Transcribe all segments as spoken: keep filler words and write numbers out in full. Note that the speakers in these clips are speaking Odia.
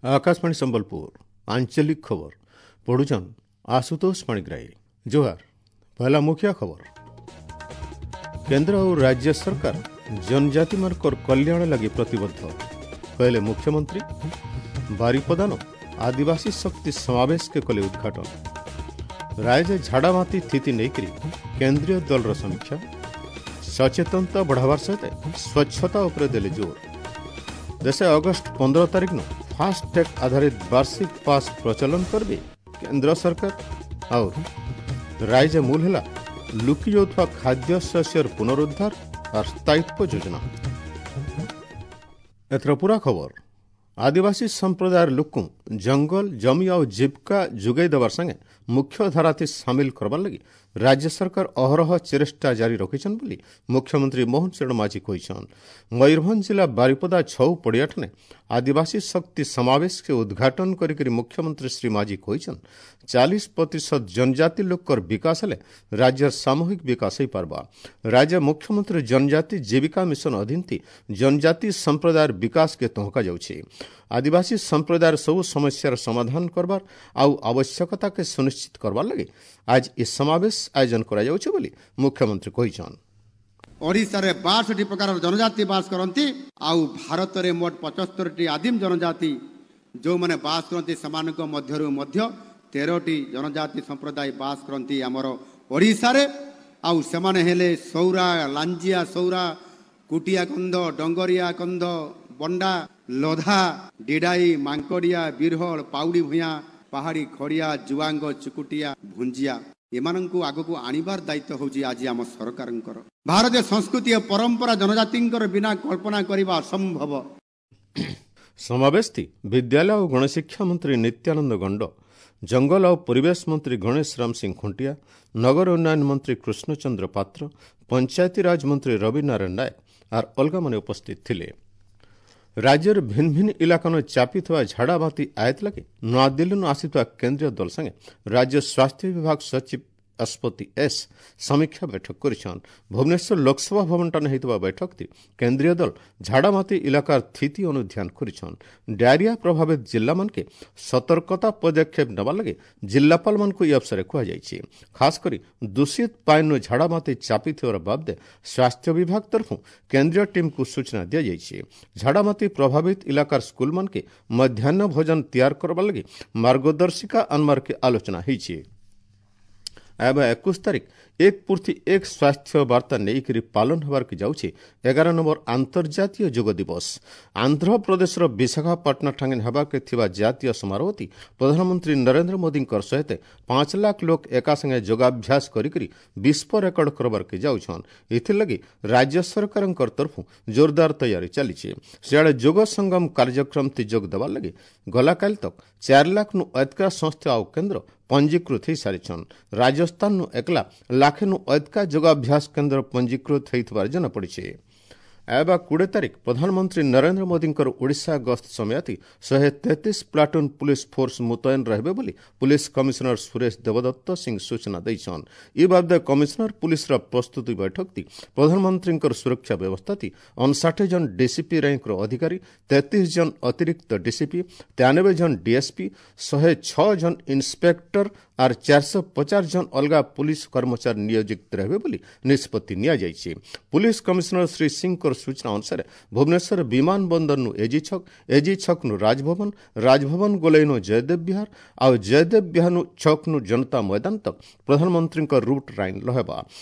Akashvani Sambalpur आंचलिक खबर पढ़ुछन आशुतोष पाणिग्राही। जोहार। पहला मुख्य खबर, केंद्र और राज्य सरकार जनजाति ମାନଙ୍କର କଲ୍ୟାଣ ଲାଗି ପ୍ରତିବଦ୍ଧ କହିଲେ ମୁଖ୍ୟମନ୍ତ୍ରୀ। ବାରିପଦାନ ଆଦିବାସୀ ଶକ୍ତି ସମାବେଶକେ କଲେ ଉଦ୍ଘାଟନ। ରାଜ୍ୟ ଝାଡ଼ାବାନ୍ତି ସ୍ଥିତି ନେଇକରି କେନ୍ଦ୍ରୀୟ ଦଳର ସମୀକ୍ଷା। ସଚେତନତା ବଢ଼ାବାର ସହିତ ସ୍ୱଚ୍ଛତା ଉପରେ ଦେଲେ ଜୋର। ଦେଶେ ଅଗଷ୍ଟ ପନ୍ଦର ତାରିଖ ନୁ ଫାଷ୍ଟଟ୍ୟାଗ ଆଧାରିତ ବାର୍ଷିକ ପାସ୍ ପ୍ରଚଳନ କରିବେ କେନ୍ଦ୍ର ସରକାର। ଆଉ ରାଜ୍ୟ ମୂଲ ହେଲା ଲୁକି ଯାଉଥିବା ଖାଦ୍ୟ ଶସ୍ୟର ପୁନରୁଦ୍ଧାର আর ସ୍ଥାୟିତ୍ୱ ଯୋଜନା। ଏଥର ପୁରା ଖବର। ଆଦିବାସୀ ସମ୍ପ୍ରଦାୟର ଲୋକଙ୍କୁ ଜଙ୍ଗଲ ଜମି ଆଉ ଜୀବିକା ଯୋଗାଇ ଦେବାର ସାଙ୍ଗେ ମୁଖ୍ୟ ଧାରାତି ସାମିଲ କରବାର ଲାଗି ରାଜ୍ୟ ସରକାର ଅହରହ ଚେଷ୍ଟା ଜାରି ରଖିଛନ୍ ବୋଲି ମୁଖ୍ୟମନ୍ତ୍ରୀ ମୋହନ ଚରଣ ମାଝୀ କହିଛନ୍। ମୟୂରଭଞ୍ଜ ଜିଲ୍ଲା ବାରିପଦା ଛଉ ପଡ଼ିଆଠାନେ ଆଦିବାସୀ ଶକ୍ତି ସମାବେଶକେ ଉଦ୍ଘାଟନ କରିକରି ମୁଖ୍ୟମନ୍ତ୍ରୀ ଶ୍ରୀ ମାଝୀ କହିଛନ୍, ଚାଳିଶ ପ୍ରତିଶତ ଜନଜାତି ଲୋକର ବିକାଶ ହେଲେ ରାଜ୍ୟର ସାମୂହିକ ବିକାଶ ହୋଇପାରବା। ରାଜ୍ୟ ମୁଖ୍ୟମନ୍ତ୍ରୀ ଜନଜାତି ଜୀବିକା ମିଶନ ଅଧୀନ ଜନଜାତି ସମ୍ପ୍ରଦାୟର ବିକାଶକେ ତହକା ଯାଉଛି। ଆଦିବାସୀ ସମ୍ପ୍ରଦାୟର ସବୁ ସମସ୍ୟାର ସମାଧାନ କରବାର ଆଉ ଆବଶ୍ୟକତାକେ ସୁନିଶ୍ଚିତ କରବାର ଲାଗି ଆଜ ଏ ସମାବେଶ ଆୟୋଜନ କରାଯାଉଛି ବୋଲି ମୁଖ୍ୟମନ୍ତ୍ରୀ କହିଛନ୍। ଓଡ଼ିଶାରେ ବାଷଠି ପ୍ରକାର ଜନଜାତି ବାସ କରନ୍ତି ଆଉ ଭାରତରେ ମୋଟ ପଚସ୍ତରୀଟି ଆଦିମ ଜନଜାତି ଯେଉଁମାନେ ବାସ କରନ୍ତି, ସେମାନଙ୍କ ମଧ୍ୟରୁ ମଧ୍ୟ ତେରଟି ଜନଜାତି ସମ୍ପ୍ରଦାୟ ବାସ କରନ୍ତି ଆମର ଓଡ଼ିଶାରେ। ଆଉ ସେମାନେ ହେଲେ ସୌରା, ଲାଞ୍ଜିଆ ସୌରା, କୁଟିଆ କନ୍ଧ, ଡଙ୍ଗରିଆ କନ୍ଧ, ବଣ୍ଡା, ଲୋଧା, ଡିଡାଇ, ମାଙ୍କଡ଼ିଆ, ବିରହଳ, ପାଉଡ଼ି ଭୂୟାଁ, ପାହାଡ଼ି ଖଡ଼ିଆ, ଜୁଆଙ୍ଗ, ଚୁକୁଟିଆ, ଭୁଞ୍ଜିଆ। ଏମାନଙ୍କୁ ଆଗକୁ ଆଣିବାର ଦାୟିତ୍ୱ ହେଉଛି ଆଜି ଆମ ସରକାରଙ୍କର। ଭାରତୀୟ ସଂସ୍କୃତି ଓ ପରମ୍ପରା ଜନଜାତିଙ୍କର ବିନା କଳ୍ପନା କରିବା ଅସମ୍ଭବ। ସମାବେଶଟି ବିଦ୍ୟାଳୟ ଓ ଗଣଶିକ୍ଷା ମନ୍ତ୍ରୀ ନିତ୍ୟାନନ୍ଦ ଗଣ୍ଡ, ଜଙ୍ଗଲ ଓ ପରିବେଶ ମନ୍ତ୍ରୀ ଗଣେଶ ରାମ ସିଂ ଖୁଣ୍ଟିଆ, ନଗର ଉନ୍ନୟନ ମନ୍ତ୍ରୀ କୃଷ୍ଣଚନ୍ଦ୍ର ପାତ୍ର, ପଞ୍ଚାୟତିରାଜ ମନ୍ତ୍ରୀ ରବି ନାରାୟଣ ନାୟକ ଆର୍ ଅଲଗାମାନେ ଉପସ୍ଥିତ ଥିଲେ। ରାଜ୍ୟର ଭିନ୍ନ ଭିନ୍ନ ଇଲାକାନ ଚାପିଥିବା ଝାଡ଼ାବାନ୍ତି ଆୟତ ଲାଗି ନୂଆଦିଲ୍ଲୀରୁ ଆସିଥିବା କେନ୍ଦ୍ରୀୟ ଦଳ ସାଙ୍ଗେ ରାଜ୍ୟ ସ୍ୱାସ୍ଥ୍ୟ ବିଭାଗ ସଚିବ ଅଶ୍ୱତୀ ଏସ୍ ସମୀକ୍ଷା ବୈଠକ କରିଛନ୍। ଭୁବନେଶ୍ୱର ଲୋକସଭା ଭବନଟାନେ ହୋଇଥିବା ବୈଠକଟି କେନ୍ଦ୍ରୀୟ ଦଳ ଝାଡ଼ାମାତି ଇଲାକାର ସ୍ଥିତି ଅନୁଧ୍ୟାନ କରିଛନ୍। ଡାଇରିଆ ପ୍ରଭାବିତ ଜିଲ୍ଲାମାନକେ ସତର୍କତା ପଦକ୍ଷେପ ନେବାର ଲାଗି ଜିଲ୍ଲାପାଳମାନଙ୍କୁ ଏହି ଅବସରରେ କୁହାଯାଇଛି। ଖାସ କରି ଦୂଷିତ ପାଇନୁ ଝାଡ଼ାମାତି ଚାପିଥିବାର ବାବଦେ ସ୍ୱାସ୍ଥ୍ୟ ବିଭାଗ ତରଫରୁ କେନ୍ଦ୍ରୀୟ ଟିମ୍କୁ ସୂଚନା ଦିଆଯାଇଛି। ଝାଡ଼ାମାତି ପ୍ରଭାବିତ ଇଲାକାର ସ୍କୁଲମାନକେ ମଧ୍ୟାହ୍ନ ଭୋଜନ ତିଆର କରବାର ଲାଗି ମାର୍ଗଦର୍ଶିକା ଆନବାରକେ ଆଲୋଚନା ହୋଇଛି। ଏବେ ଏକୋଇଶ ତାରିଖ ଏକ ପୂର୍ତ୍ତି ଏକ ସ୍ୱାସ୍ଥ୍ୟ ବାର୍ତ୍ତା ନେଇକରି ପାଳନ ହେବାର୍କେ ଯାଉଛି ଏଗାର ନମ୍ବର ଆନ୍ତର୍ଜାତୀୟ ଯୋଗ ଦିବସ। ଆନ୍ଧ୍ରପ୍ରଦେଶର ବିଶାଖାପାଟଣା ଠାଙ୍ଗେ ହେବାକେ ଥିବା ଜାତୀୟ ସମାରୋହଟି ପ୍ରଧାନମନ୍ତ୍ରୀ ନରେନ୍ଦ୍ର ମୋଦୀଙ୍କର ସହିତ ପାଞ୍ଚ ଲାଖ ଲୋକ ଏକା ସାଙ୍ଗେ ଯୋଗାଭ୍ୟାସ କରିକରି ବିଶ୍ୱ ରେକର୍ଡ କରବାର୍କେ ଯାଉଛନ୍। ଏଥିର୍ଲାଗି ରାଜ୍ୟ ସରକାରଙ୍କର ତରଫରୁ ଜୋରଦାର ତୟାରୀ ଚାଲିଛି। ସିଆଡ଼େ ଯୋଗ ସଙ୍ଗମ କାର୍ଯ୍ୟକ୍ରମଟି ଯୋଗ ଦେବାର ଲାଗି ଗଲାକାଲି ତକ ଚାରି ଲାଖନୁ ଅଧିକା ସଂସ୍ଥା ଆଉ କେନ୍ଦ୍ର ପଞ୍ଜୀକୃତ ହୋଇସାରିଛନ୍। ରାଜସ୍ଥାନରୁ ଏକଲା ଲାଖେନୁ ଅଧିକା ଯୋଗାଭ୍ୟାସ କେନ୍ଦ୍ର ପଞ୍ଜୀକୃତ ହୋଇଥିବାର ଜଣାପଡ଼ିଛି। ଏବେ କୋଡ଼ିଏ ତାରିଖ ପ୍ରଧାନମନ୍ତ୍ରୀ ନରେନ୍ଦ୍ର ମୋଦୀଙ୍କର ଓଡ଼ିଶା ଗସ୍ତ ସମୟତି ଶହେ ତେତିଶ ପ୍ଲାଟୁନ୍ ପୁଲିସ ଫୋର୍ସ ମୁତୟନ ରହିବେ ବୋଲି ପୁଲିସ କମିଶନର ସୁରେଶ ଦେବଦତ୍ତ ସିଂ ସୂଚନା ଦେଇଛନ୍। ଏ ବାବଦେ କମିଶନର ପୁଲିସର ପ୍ରସ୍ତୁତି ବୈଠକଟି ପ୍ରଧାନମନ୍ତ୍ରୀଙ୍କର ସୁରକ୍ଷା ବ୍ୟବସ୍ଥାଟି ଅଣଷାଠି ଜଣ ଡିସିପି ର୍ୟାଙ୍କର ଅଧିକାରୀ, ତେତିଶ ଜଣ ଅତିରିକ୍ତ ଡିସିପି, ତେୟାନବେ ଜଣ ଡିଏସ୍ପି, ଶହେ ଛଅ ଜଣ ଇନ୍ସପେକ୍ଟର ଆର୍ ଚାରିଶହ ପଚାଶ ଜଣ ଅଲଗା ପୁଲିସ କର୍ମଚାରୀ ନିୟୋଜିତ ରହିବେ ବୋଲି ନିଷ୍ପତ୍ତି ନିଆଯାଇଛି। ପୁଲିସ କମିଶନର ଶ୍ରୀ ସିଂଙ୍କର ସୂଚନା ଅନୁସାରେ ଭୁବନେଶ୍ୱର ବିମାନ ବନ୍ଦରନୁ ଏଜି ଛକ, ଏଜି ଛକନୁ ରାଜଭବନ, ରାଜଭବନ ଗୋଲେଇନୁ ଜୟଦେବ ବିହାର ଆଉ ଜୟଦେବ ବିହାରନୁ ଛକନୁ ଜନତା ମଇଦାନ ତକ ପ୍ରଧାନମନ୍ତ୍ରୀଙ୍କ ରୁଟ୍ ଲାଇନ୍ ରହିବା।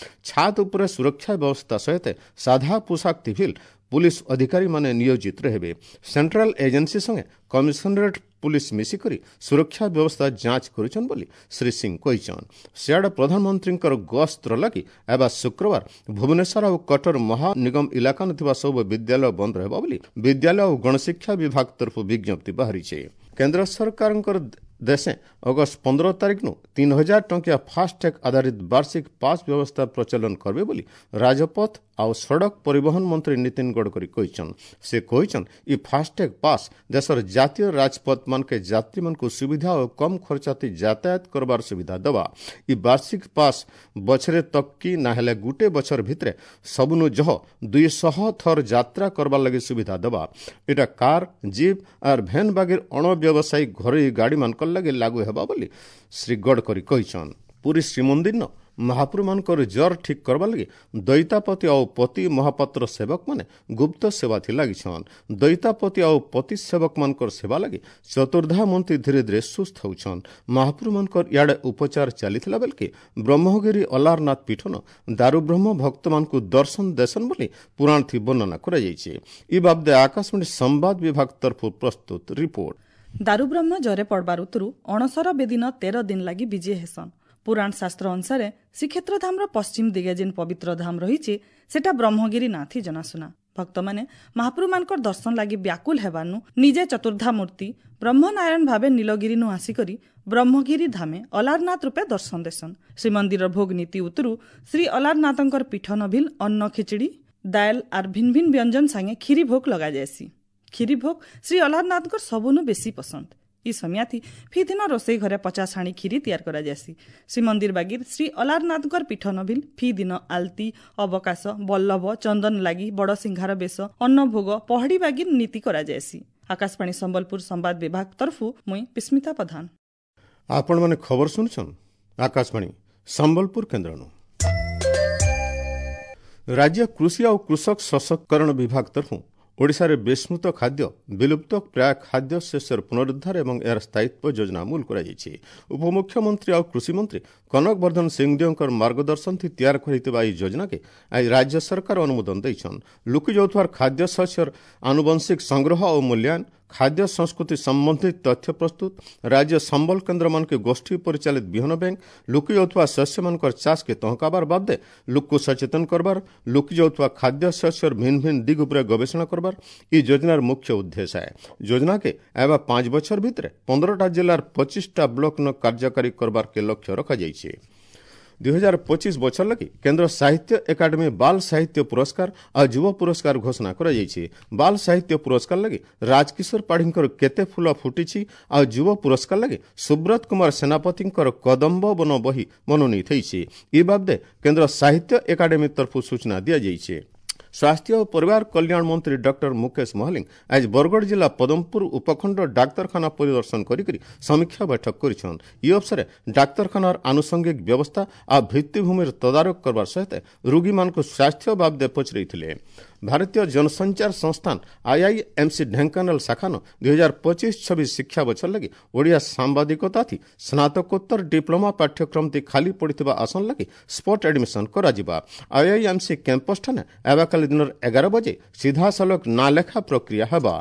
ଛାତ ଉପରେ ସୁରକ୍ଷା ବ୍ୟବସ୍ଥା ସହିତ ସାଧା ପୋଷାକ ଥିଭିଲ ପୁଲିସ ଅଧିକାରୀମାନେ ନିୟୋଜିତ ରହିବେ। ସେଣ୍ଟ୍ରାଲ ଏଜେନ୍ସି ସଙ୍ଗେ କମିଶନରେଟ୍ ପୁଲିସ ମିଶିକରି ସୁରକ୍ଷା ବ୍ୟବସ୍ଥା ଯାଞ୍ଚ କରୁଛନ୍ ବୋଲି ଶ୍ରୀ ସିଂ କହିଛନ୍। ସିଆଡ଼େ ପ୍ରଧାନମନ୍ତ୍ରୀଙ୍କର ଗସ୍ତର ଲାଗି ଏବେ ଶୁକ୍ରବାର ଭୁବନେଶ୍ୱର ଆଉ କଟର ମହାନିଗମ ଇଲାକାନ ଥିବା ସବୁ ବିଦ୍ୟାଳୟ ବନ୍ଦ ରହିବ ବୋଲି ବିଦ୍ୟାଳୟ ଓ ଗଣଶିକ୍ଷା ବିଭାଗ ତରଫରୁ ବିଜ୍ଞପ୍ତି ବାହାରିଛି। କେନ୍ଦ୍ର ସରକାରଙ୍କର ଦେଶେ ଅଗଷ୍ଟ ପନ୍ଦର ତାରିଖନୁ ତିନି ହଜାର ଟଙ୍କିଆ ଫାସ୍ଟ୍ୟାଗ୍ ଆଧାରିତ ବାର୍ଷିକ ପାସ୍ ବ୍ୟବସ୍ଥା ପ୍ରଚଳନ କରିବେ ବୋଲି ରାଜପଥ ଆଉ ସଡ଼କ ପରିବହନ ମନ୍ତ୍ରୀ ନୀତିନ ଗଡ଼କରୀ କହିଛନ୍। ସେ କହିଛନ୍, ଇ ଫାସ୍ଟ୍ୟାଗ୍ ପାସ୍ ଦେଶର ଜାତୀୟ ରାଜପଥମାନକେ ଯାତ୍ରୀମାନଙ୍କୁ ସୁବିଧା ଓ କମ୍ ଖର୍ଚ୍ଚାତି ଯାତାୟାତ କରବାର ସୁବିଧା ଦେବା। ଇ ବାର୍ଷିକ ପାସ୍ ବଛରେ ତକ୍ କି ନା ହେଲେ ଗୁଟେ ବଛର ଭିତରେ ସବୁନୁ ଜହ ଦୁଇଶହ ଥର ଯାତ୍ରା କରବାର ଲାଗି ସୁବିଧା ଦେବା। ଏଟା କାର୍, ଜିପ୍ ଆର୍ ଭ୍ୟାନ୍ ବାଗିର ଅଣବ୍ୟବସାୟିକ ଘରୋଇ ଗାଡ଼ିମାନଙ୍କର ଲାଗି ଲାଗୁ ହେବା ବୋଲି ଶ୍ରୀ ଗଡ଼କରୀ କହିଛନ୍। ପୁରୀ ଶ୍ରୀମନ୍ଦିର ମହାପ୍ରଭୁମାନଙ୍କର ଜ୍ୱର ଠିକ୍ କରବା ଲାଗି ଦୈତାପତି ଆଉ ପତି ମହାପାତ୍ର ସେବକମାନେ ଗୁପ୍ତ ସେବାଥି ଲାଗିଛନ୍। ଦୈତାପତି ଆଉ ପତି ସେବକମାନଙ୍କର ସେବା ଲାଗି ଚତୁର୍ଦ୍ଧା ମନ୍ତ୍ରୀ ଧୀରେ ଧୀରେ ସୁସ୍ଥ ହେଉଛନ୍। ମହାପ୍ରଭୁମାନଙ୍କର ଇଆଡ଼େ ଉପଚାର ଚାଲିଥିଲା ବେଲକେ ବ୍ରହ୍ମଗିରି ଅଲାରନାଥ ପୀଠନ ଦାରୁବ୍ରହ୍ମ ଭକ୍ତମାନଙ୍କୁ ଦର୍ଶନ ଦେଶନ ବୋଲି ପୁରାଣଥି ବର୍ଣ୍ଣନା କରାଯାଇଛି। ଇ ବାବଦେ ଆକାଶବାଣୀ ସମ୍ବାଦ ବିଭାଗ ତରଫରୁ ପ୍ରସ୍ତୁତ ରିପୋର୍ଟ। ଦାରୁବ୍ରହ୍ମ ଜରେ ପଡ଼ବାର ଉତରୁ ଅଣସର ବେଦିନ ତେର ଦିନ ଲାଗି ବିଜେ ହେସନ୍। ପୁରାଣ ଶାସ୍ତ୍ର ଅନୁସାରେ ଶ୍ରୀକ୍ଷେତ୍ର ଧାମର ପଶ୍ଚିମ ଦିଗେ ଯେନ୍ ପବିତ୍ର ଧାମ ରହିଛି, ସେଟା ବ୍ରହ୍ମଗିରି ନାଥି ଜଣାଶୁଣା। ଭକ୍ତମାନେ ମହାପ୍ରଭୁମାନଙ୍କର ଦର୍ଶନ ଲାଗି ବ୍ୟାକୁଲ ହେବାନୁ ନିଜେ ଚତୁର୍ଦ୍ଧା ମୂର୍ତ୍ତି ବ୍ରହ୍ମନାରାୟଣ ଭାବେ ନୀଳଗିରିନୁ ଆସିକରି ବ୍ରହ୍ମଗିରି ଧାମେ ଅଲାରନାଥ ରୂପେ ଦର୍ଶନ ଦେସନ୍। ଶ୍ରୀମନ୍ଦିର ଭୋଗ ନୀତି ଉତରୁ ଶ୍ରୀ ଅଲାରନାଥଙ୍କର ପୀଠ ନଭିଲ ଅନ୍ନ ଖିଚିଡ଼ି, ଦାଏଲ ଆର୍ ଭିନ୍ ଭିନ୍ ବ୍ୟଞ୍ଜନ ସାଙ୍ଗେ କ୍ଷୀରି ଭୋଗ ଲଗାଯାଏସି। କ୍ଷୀରି ଭୋଗ ଶ୍ରୀ ଅଲାରନାଥଙ୍କର ସବୁନୁ ବେଶୀ ପସନ୍ଦ। ଇ ସମିଆଥି ଫି ଦିନ ରୋଷେଇ ଘରେ ପଚାଶ ହାଣି କ୍ଷୀରି ତିଆରି କରାଯାଏସି। ଶ୍ରୀମନ୍ଦିର ବାଗିର ଶ୍ରୀ ଅଲାରନାଥଙ୍କର ପୀଠ ନଭିଲ ଫି ଦିନ ଆଲତି, ଅବକାଶ, ବଲ୍ଲଭ, ଚନ୍ଦନ ଲାଗି, ବଡ଼ ସିଂହାର ବେଶ, ଅନ୍ନଭୋଗ, ପହଡ଼ି ବାଗିର ନୀତି କରାଯାଏସି। ଆକାଶବାଣୀ ସମ୍ବଲପୁର ସମ୍ବାଦ ବିଭାଗ ତରଫୁ ମୁଇଁ ବିସ୍ମିତା ପ୍ରଧାନ। ଆପଣମାନେ ଖବର ଶୁଣୁଛନ୍ ଆକାଶବାଣୀ ସମ୍ବଲପୁର କେନ୍ଦ୍ରନୁ। ରାଜ୍ୟ କୃଷି ଆଉ କୃଷକ ସଶକ୍ତିକରଣ ବିଭାଗ ତରଫୁ ଓଡ଼ିଶାରେ ବିସ୍ମୃତ ଖାଦ୍ୟ, ବିଲୁପ୍ତ ପ୍ରାୟ ଖାଦ୍ୟ ଶସ୍ୟର ପୁନରୁଦ୍ଧାର ଏବଂ ଏହାର ସ୍ଥାୟିତ୍ୱ ଯୋଜନା ଅମୂଲ କରାଯାଇଛି। ଉପମୁଖ୍ୟମନ୍ତ୍ରୀ ଆଉ କୃଷିମନ୍ତ୍ରୀ କନକ ବର୍ଦ୍ଧନ ସିଂଦେଓଙ୍କର ମାର୍ଗଦର୍ଶନ ତିଆରି କରିଥିବା ଏହି ଯୋଜନାକେ ଆଜି ରାଜ୍ୟ ସରକାର ଅନୁମୋଦନ ଦେଇଛନ୍। ଲୁକି ଯାଉଥିବା ଖାଦ୍ୟ ଶସ୍ୟର ଆନୁବଂଶିକ ସଂଗ୍ରହ ଓ ମୂଲ୍ୟାୟନ, ଖାଦ୍ୟ ସଂସ୍କୃତି ସମ୍ବନ୍ଧିତ ତଥ୍ୟ ପ୍ରସ୍ତୁତ, ରାଜ୍ୟ ସମ୍ବଲ କେନ୍ଦ୍ରମାନଙ୍କୁ ଗୋଷ୍ଠୀ ପରିଚାଳିତ ବିହନ ବ୍ୟାଙ୍କ, ଲୁକି ଯାଉଥିବା ଶସ୍ୟମାନଙ୍କର ଚାଷକେ ତହକାବାର ବାଦେ ଲୋକକୁ ସଚେତନ କରବାର, ଲୁକି ଯାଉଥିବା ଖାଦ୍ୟ ଶସ୍ୟର ଭିନ୍ନ ଭିନ୍ନ ଦିଗ ଉପରେ ଗବେଷଣା କରବାର এই ଯୋଜନାର ମୁଖ୍ୟ ଉଦ୍ଦେଶ୍ୟ। ଯୋଜନାକେ ଏବେ ପାଞ୍ଚ ବଛର ଭିତରେ ପନ୍ଦରଟା ଜିଲ୍ଲାର ପଚିଶଟା ବ୍ଲକ ନ କାର୍ଯ୍ୟକାରୀ କରବାରକେ ଲକ୍ଷ୍ୟ ରଖାଯାଇଛି। ଦୁଇ ହଜାର ପଚିଶ ବଛର ଲାଗି କେନ୍ଦ୍ର ସାହିତ୍ୟ ଏକାଡେମୀ ବାଲ ସାହିତ୍ୟ ପୁରସ୍କାର ଆଉ ଯୁବ ପୁରସ୍କାର ଘୋଷଣା କରାଯାଇଛି। ବାଲ ସାହିତ୍ୟ ପୁରସ୍କାର ଲାଗି ରାଜକିଶୋର ପାଢ଼ୀଙ୍କର କେତେ ଫୁଲ ଫୁଟିଛି ଆଉ ଯୁବ ପୁରସ୍କାର ଲାଗି ସୁବ୍ରତ କୁମାର ସେନାପତିଙ୍କର କଦମ୍ବ ବନ ବହି ମନୋନୀତ ହୋଇଛି। ଏ ବାବଦେ କେନ୍ଦ୍ର ସାହିତ୍ୟ ଏକାଡେମୀ ତରଫରୁ ସୂଚନା ଦିଆଯାଇଛି। ସ୍ୱାସ୍ଥ୍ୟ ଓ ପରିବାର କଲ୍ୟାଣ ମନ୍ତ୍ରୀ ଡକ୍ଟର ମୁକେଶ ମହାଲିଙ୍ଗ ଆଜି ବରଗଡ଼ ଜିଲ୍ଲା ପଦମପୁର ଉପଖଣ୍ଡ ଡାକ୍ତରଖାନା ପରିଦର୍ଶନ କରିକରି ସମୀକ୍ଷା ବୈଠକ କରିଛନ୍। ଇ ଅବସରେ ଡାକ୍ତରଖାନାର ଆନୁଷଙ୍ଗିକ ବ୍ୟବସ୍ଥା ଆଉ ଭିତ୍ତିଭୂମିର ତଦାରଖ କରବାର ସହିତ ରୋଗୀମାନଙ୍କୁ ସ୍ୱାସ୍ଥ୍ୟ ବାବଦେ ପଚରାଇଥିଲେ। ଭାରତୀୟ ଜନସଞ୍ଚାର ସଂସ୍ଥାନ ଆଇଆଇଏମ୍ସି ଢେଙ୍କାନାଳ ଶାଖାନ ଦୁଇ ହଜାର ପଚିଶ ଛବିଶ ଶିକ୍ଷା ବଛର ଲାଗି ଓଡ଼ିଆ ସାମ୍ବାଦିକତା ଥି ସ୍ନାତକୋତ୍ତର ଡିପ୍ଲୋମା ପାଠ୍ୟକ୍ରମଟି ଖାଲି ପଡ଼ିଥିବା ଆସନ ଲାଗି ସ୍ପଟ୍ ଆଡମିସନ୍ କରାଯିବା। ଆଇଆଇଏମ୍ସି କ୍ୟାମ୍ପସ୍ ଠାନେ ଆବାକାଲି ଦିନର ଏଗାର ବଜେ ସିଧାସଳଖ ନାଁ ଲେଖା ପ୍ରକ୍ରିୟା ହେବା।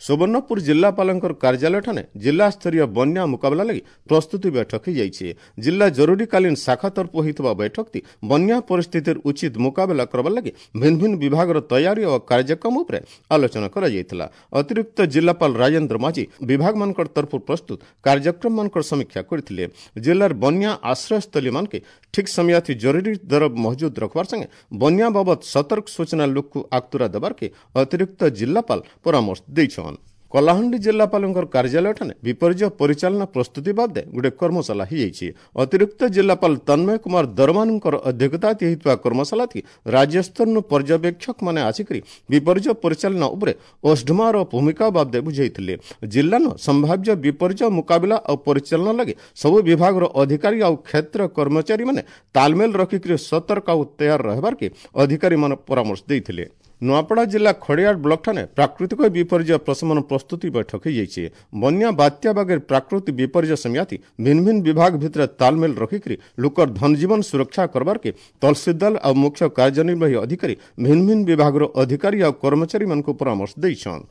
ସୁବର୍ଣ୍ଣପୁର ଜିଲ୍ଲାପାଳଙ୍କର କାର୍ଯ୍ୟାଳୟଠାରେ ଜିଲ୍ଲାସ୍ତରୀୟ ବନ୍ୟା ମୁକାବିଲା ଲାଗି ପ୍ରସ୍ତୁତି ବୈଠକ ହୋଇଯାଇଛି। ଜିଲ୍ଲା ଜରୁରୀକାଳୀନ ଶାଖା ତରଫରୁ ହୋଇଥିବା ବୈଠକଟି ବନ୍ୟା ପରିସ୍ଥିତିର ଉଚିତ ମୁକାବିଲା କରବାର ଲାଗି ଭିନ୍ନ ଭିନ୍ନ ବିଭାଗର ତୟାରୀ ଓ କାର୍ଯ୍ୟକ୍ରମ ଉପରେ ଆଲୋଚନା କରାଯାଇଥିଲା। ଅତିରିକ୍ତ ଜିଲ୍ଲାପାଳ ରାଜେନ୍ଦ୍ର ମାଝୀ ବିଭାଗମାନଙ୍କର ତରଫରୁ ପ୍ରସ୍ତୁତ କାର୍ଯ୍ୟକ୍ରମମାନଙ୍କର ସମୀକ୍ଷା କରିଥିଲେ। ଜିଲ୍ଲାର ବନ୍ୟା ଆଶ୍ରୟସ୍ଥଳୀମାନକେ ଠିକ୍ ସମୟାଥି ଜରୁରୀ ଦର ମହଜୁଦ ରଖବାର ସାଙ୍ଗେ ବନ୍ୟା ବାବଦ ସତର୍କ ସୂଚନା ଲୋକକୁ ଆଗତୁରା ଦେବାର୍କେ ଅତିରିକ୍ତ ଜିଲ୍ଲାପାଳ ପରାମର୍ଶ ଦେଇଛନ୍। କଳାହାଣ୍ଡି ଜିଲ୍ଲାପାଳଙ୍କର କାର୍ଯ୍ୟାଳୟଠାରେ ବିପର୍ଯ୍ୟୟ ପରିଚାଳନା ପ୍ରସ୍ତୁତି ବାଦେ ଗୋଟେ କର୍ମଶାଳା ହୋଇଯାଇଛି। ଅତିରିକ୍ତ ଜିଲ୍ଲାପାଳ ତନ୍ମୟ କୁମାର ଦରମାନଙ୍କର ଅଧ୍ୟକ୍ଷତା ହୋଇଥିବା କର୍ମଶାଳାଟି ରାଜ୍ୟସ୍ତରରୁ ପର୍ଯ୍ୟବେକ୍ଷକମାନେ ଆସିକରି ବିପର୍ଯ୍ୟୟ ପରିଚାଳନା ଉପରେ ଓଷ୍ଡମାର ଭୂମିକା ବାବଦେ ବୁଝାଇଥିଲେ। ଜିଲ୍ଲାର ସମ୍ଭାବ୍ୟ ବିପର୍ଯ୍ୟୟ ମୁକାବିଲା ଆଉ ପରିଚାଳନା ଲାଗି ସବୁ ବିଭାଗର ଅଧିକାରୀ ଆଉ କ୍ଷେତ୍ର କର୍ମଚାରୀମାନେ ତାଲମେଲ ରଖିକରି ସତର୍କ ଆଉ ତୟାର ରହିବାର୍କେ ଅଧିକାରୀମାନେ ପରାମର୍ଶ ଦେଇଥିଲେ। ନୂଆପଡ଼ା ଜିଲ୍ଲା ଖଡ଼ିଆଳ ବ୍ଲକଠାରେ ପ୍ରାକୃତିକ ବିପର୍ଯ୍ୟୟ ପ୍ରଶମନ ପ୍ରସ୍ତୁତି ବୈଠକ ହୋଇଯାଇଛି। ବନ୍ୟା ବାତ୍ୟା ବାଗେର ପ୍ରାକୃତିକ ବିପର୍ଯ୍ୟୟ ସମିଆତି ଭିନ୍ନ ଭିନ୍ନ ବିଭାଗ ଭିତରେ ତାଲମେଲ ରଖିକରି ଲୋକର ଧନଜୀବନ ସୁରକ୍ଷା କରବାର୍କେ ତହସିଲଦାର ଆଉ ମୁଖ୍ୟ କାର୍ଯ୍ୟନିର୍ବାହୀ ଅଧିକାରୀ ଭିନ୍ନ ଭିନ୍ନ ବିଭାଗର ଅଧିକାରୀ ଆଉ କର୍ମଚାରୀମାନଙ୍କୁ ପରାମର୍ଶ ଦେଇଛନ୍।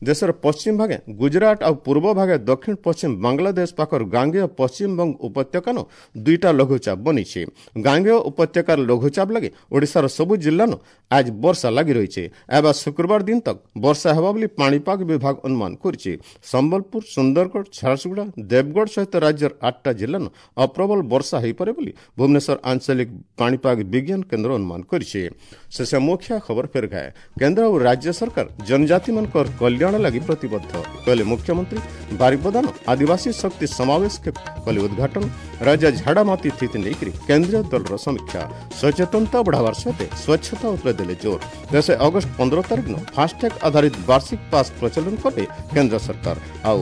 ଦେଶର ପଶ୍ଚିମ ଭାଗେ ଗୁଜରାଟ ଆଉ ପୂର୍ବ ଭାଗେ ଦକ୍ଷିଣ ପଶ୍ଚିମ ବାଂଲାଦେଶ ପାଖର ଗାଙ୍ଗେୟ ପଶ୍ଚିମବଙ୍ଗ ଉପତ୍ୟକାନ ଦୁଇଟା ଲଘୁଚାପ ବନିଛି। ଗାଙ୍ଗେୟ ଉପତ୍ୟକାର ଲଘୁଚାପ ଲାଗି ଓଡ଼ିଶାର ସବୁ ଜିଲ୍ଲାନ ଆଜ ବର୍ଷା ଲାଗି ରହିଛି। ଏବେ ଶୁକ୍ରବାର ଦିନ ତକ ବର୍ଷା ହେବା ବୋଲି ପାଣିପାଗ ବିଭାଗ ଅନୁମାନ କରିଛି। ସମ୍ବଲପୁର, ସୁନ୍ଦରଗଡ଼, ଝାରସୁଗୁଡ଼ା, ଦେବଗଡ଼ ସହିତ ରାଜ୍ୟର ଆଠଟା ଜିଲ୍ଲାନ ଅପ୍ରବଳ ବର୍ଷା ହୋଇପାରେ ବୋଲି ଭୁବନେଶ୍ୱର ଆଞ୍ଚଳିକ ପାଣିପାଗ ବିଜ୍ଞାନ କେନ୍ଦ୍ର ଅନୁମାନ କରିଛି। ଶେଷ ମୁଖ୍ୟ ଖବର ଫେର ଘାଏ। କେନ୍ଦ୍ର ଓ ରାଜ୍ୟ ସରକାର ଜନଜାତିମାନଙ୍କର କଲ୍ୟାଣ ଲାଗି ପ୍ରତିବଦ୍ଧ କହିଲେ ମୁଖ୍ୟମନ୍ତ୍ରୀ। ବାରିପଦାନ ଆଦିବାସୀ ଶକ୍ତି ସମାବେଶ କଲେ ଉଦ୍ଘାଟନ। ରାଜ୍ୟ ଝାଡ଼ାମାତି ସ୍ଥିତି ନେଇକରି କେନ୍ଦ୍ରୀୟ ଦଳର ସମୀକ୍ଷା। ସଚେତନତା ବଢ଼ାବାର ସହିତ ସ୍ୱଚ୍ଛତା ଉପରେ ଦେଲେ ଜୋର। ଦେଶ ଅଗଷ୍ଟ ପନ୍ଦର ତାରିଖ ଦିନ ଫାଷ୍ଟ୍ୟାଗ୍ ଆଧାରିତ ବାର୍ଷିକ ପାସ୍ ପ୍ରଚଳନ କଲେ କେନ୍ଦ୍ର ସରକାର। ଆଉ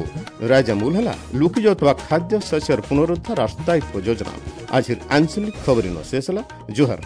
ରାଜ୍ୟ ମୂଲ ହେଲା ଲୁକି ଯାଉଥିବା ଖାଦ୍ୟ ଶସ୍ୟର ପୁନରୁଦ୍ଧାର ସ୍ଥାୟିତ୍ୱ ଯୋଜନା। ଆଜିର ଆଞ୍ଚଳିକ ଖବରିନ ଶେଷ ହେଲା। ଜୁହାର।